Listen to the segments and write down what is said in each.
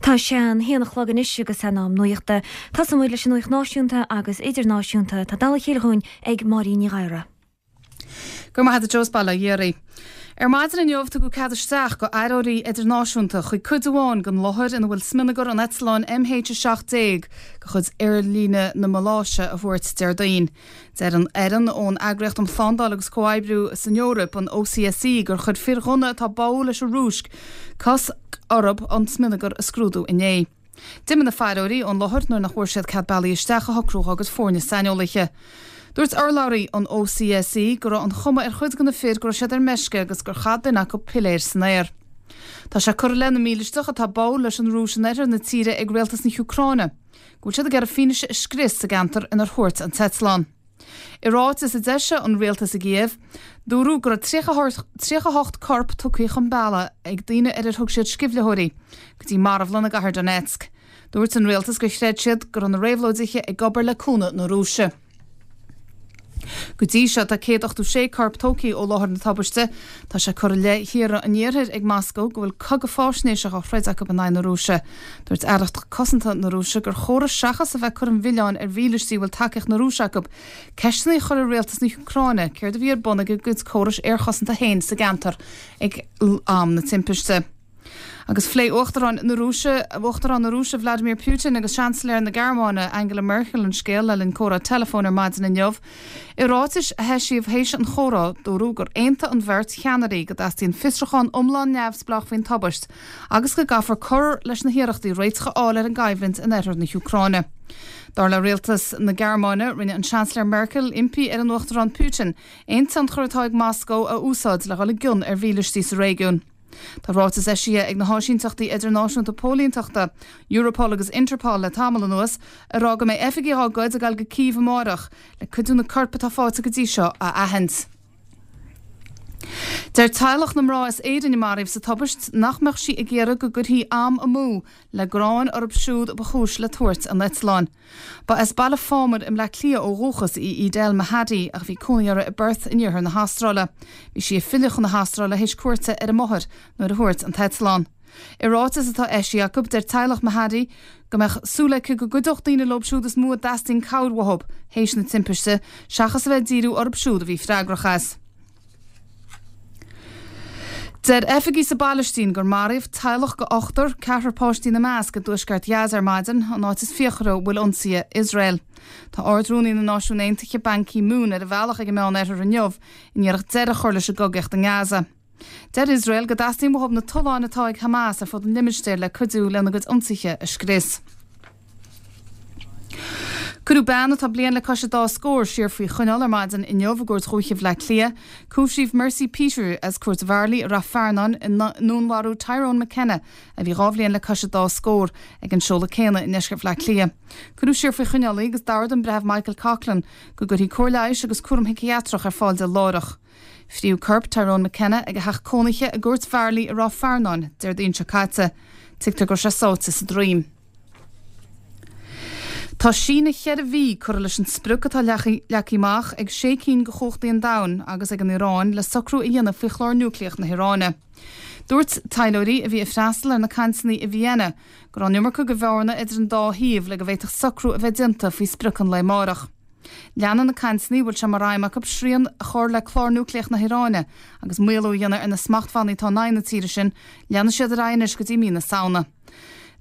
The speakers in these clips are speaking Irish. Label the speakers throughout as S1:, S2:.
S1: Tá sé an haon a chlog anois agus in am nuachta. Tosóidh muid leis an nuacht náisiúnta agus idirnáisiúnta atá tagtha le chéile dhúinn ag Máirín Ní Ghadhra.
S2: Go raibh maith agat a Joe, bail ó Dhia oraibh. Ar maidin inniu tugadh cead isteach go fhairtheoirí idirnáisiúnta chuig cuid amháin den láthair ina bhfuil smionagar an eitleáin MH17 de chuid aerlíne na Maláise a thuairt Déardaoin. Deir an fhoireann ón Eagraíocht um Shlándáil agus Comhoibriú san Eoraip, an OCSE, gur chuir fir ghunna atá báúil leis an Rúis cosc orthu an smionagar a scrúdú inné. D'imigh na fairtheoirí ón láthair nuair nach bhfuair siad cead bealaí isteach a shocrú dá gcuid foirne saineolaithe. Dúirt urlabhraí an OCSE go raibh an chuma ar chuid de na fir go raibh siad ar meisce agus gur chaith duine acu piléar san aer. Tá sé curtha i leith na mílisteach atá báúil leis an Rúis in oirthear na tíre ag rialtas na hÚcráine go bhfuil siad ag iarraidh fianaise a scrios sa gceantar inar thuairt an t-eitleán. I ráiteas a d'eisigh an rialtas i gCíév, dúradh go raibh 38 corp tugtha chun bealaigh ag daoine ar ar thug siad sceimhlitheoirí go dtí marbhlann i gcathair Donetsk. Dúirt an rialtas gur chreid siad go raibh na réabhlóidithe ag obair le cúnamh na Rúise. Go dtí seo tá 186 corp tógtha ó láthair na tubaiste. Tá sé curtha i leith thíortha an Iarthair ag Moscó go bhfuil cogadh fáisnéise á throid acu in aghaidh na Rúise. Dúirt Aireacht Cosanta na Rúise gur chóir seachas a bheith ag cur an mhilleáin ar mhílistí a bhfuil tacaíocht na Rúise acu, ceisteanna a chur ar rialtas na hÚcráine céard a bhí ar bun ag a gcuid córais aerchosanta féin sa gceantar ag am na timpiste. Agus phléigh Uachtarán na Rúise, Uachtarán na Rúise Vladimir Putin agus Seansailéir na Gearmáine Angela Merkel an scéal le linn comhrá teileafóin ar maidin inniu. I ráitis a heisíodh théis an chomhrá, dúradh gur aontaigh an bheirt cheannairí go dteastaíonn fiosrúchán iomlán neamhspleách faoin tubaist agus go gcaithfear cur leis na hiarrachtaí réiteach a fháil ar an gcoimhlint in oirthear na hÚcráine. Dar le rialtas na Gearmáine, rinne an Seansailéir Merkel impí ar an Uachtarán Putin aon tionchar atá ag Moscó a úsáid le dhul i gcion ar mhílistí sa réigiún. Tá ráiteas eisithe ag na háisínteachtaí idirnáisiúnta póilínteachta, Europol agus Interpol le tamall anuas, ag rá go mbeidh oifigigh dá gcuid ag dul go Cív amáireach le cuid de na coirp atá faighte go dtí seo a aithint. Deir teaghlach na mná as Éirinn a maraíodh sa tubaist nach mbeadh sí ag iarraidh go gcuirfí am amú le gráin orthu siúd a ba chúis le tuairt an eitleáin. Ba as Baile Phámar i mBleá Cliath ó dhúchas í Edel Mahadi ach bhí cónaí uirthi i bPerth in iarthar na hAstráile. Bhí sí ag filleadh chun na hAstráile théis cuairte ar a máthair nuair a thuairt an t-eitleán. I ráiteas atá eisithe acu, deir teaghlach Mahadi go mbeadh súil aici go gcuideodh daoine leo siúd is mó a dteastaíonn cabhair uathu théis na timpiste seachas a bheith ag díriú orthu siúd a bhí freagrach as. Deir oifigigh sa bPailistín gur maraíodh teaghlach de ochtar, ceathrar páistí ina measc, i dtuaisceart Ghaza ar maidin, an áit is fíochmhaire a bhfuil ionsaithe Iosrael. Tá Ard-Rúnaí na Náisiún Aontaithe, Ban Ki-moon, ar a bhealach ag an Meán-Oirthear inniu in iarracht deireadh a chur leis an gcogaíocht i nGaza. Deir Iosrael go dteastaíonn uathu na tolláin atá ag Hamas ar fud an limistéir le cuidiú lena gcuid ionsaithe a scrios. Cuireadh bean atá bliain le cois an dá scór siar faoi choinneáil ar maidin inniu i gCúirt Dhúiche Bhaile Átha Cliath. Cúisíodh Mercy Peter as Cúirt Mharlaí i Rath Fearnáin i ndúnmharú Tyrone McKenna, a bhí 2 bhliain le cois an dá scór, ag an seoladh céanna i ndeisceart Bhaile Átha Cliath. Cuireadh siar faoi choinneáil í agus d'ordaigh an Breitheamh Michael Coughlan go gcuirfí cóir leighis agus cúram shiciatrach ar fáil di láithreach. Fríodh corp Tyrone McKenna ag a theach cónaithe i gCúirt Mharlaí i Ráth Fearnáin Déardaoin seo caite. Tuigtear go raibh sé sáite sa droim. Tá síneadh cheithre mhí curtha leis an sprioc atá leagtha amach ag sé cinn de chumhachtaí an domhain agus ag an Iaráin le socrú a dhéanamh faoi chlár núicléach na hIaráine. Dúirt taidhleoirí a bhí ag freastal ar na cainteanna i Vienna go raibh an iomarca de bhearna idir an dá thaobh le go bhféadfadh socrú a bheith déanta faoi sprioc an lae amárach. Leanfaidh na cainteanna, a bhfuil sé mar aidhm acu srian a chur le clár núicléach na hIaráine agus maolú a dhéanamh ar na smachtbhannaí atá in aghaidh na tíre sin, leanfaidh siad ar aghaidh anois go dtí mí na Samhna.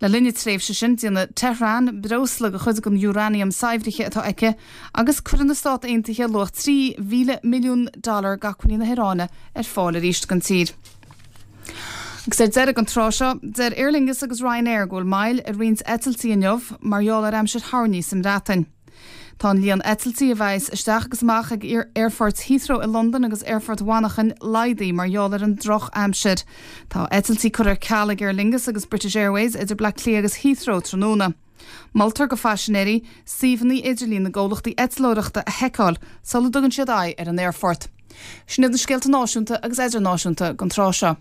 S2: Le linn na tréimhse sin, déanfaidh Tehran breosla de chuid den uranium saibhrithe atá aici agus cuirfidh na Stát Aontaithe luach 3,000 milliún dollar d'acmhainní na hIaráine ar fáil arís don tír. Agus ar deireadh an tráth seo, deir Aer Lingus agus Ryanair go bhfuil moill ar roinnt eitiltí inniu mar gheall ar aimsir thoirní sa mBreatain. Tá an líon eitiltí a bheas isteach agus amach ag aerfoirt Heathrow i Londain agus aerfort Mhanchain laghdaithe mar gheall ar an droch-aimsir. Tá eitiltí curtha ar ceal ag Aer Lingus agus British Airways idir Bleá Cliath agus Heathrow tráthnóna. Moltar go phaisinéirí suíomhanna idirlín na gcomhlachtaí eitleoireachta a sheiceáil sula dtugann siad aghaidh ar an aerfort. Sin iad na scéalta náisiúnta agus idirnáisiúnta don tráth seo.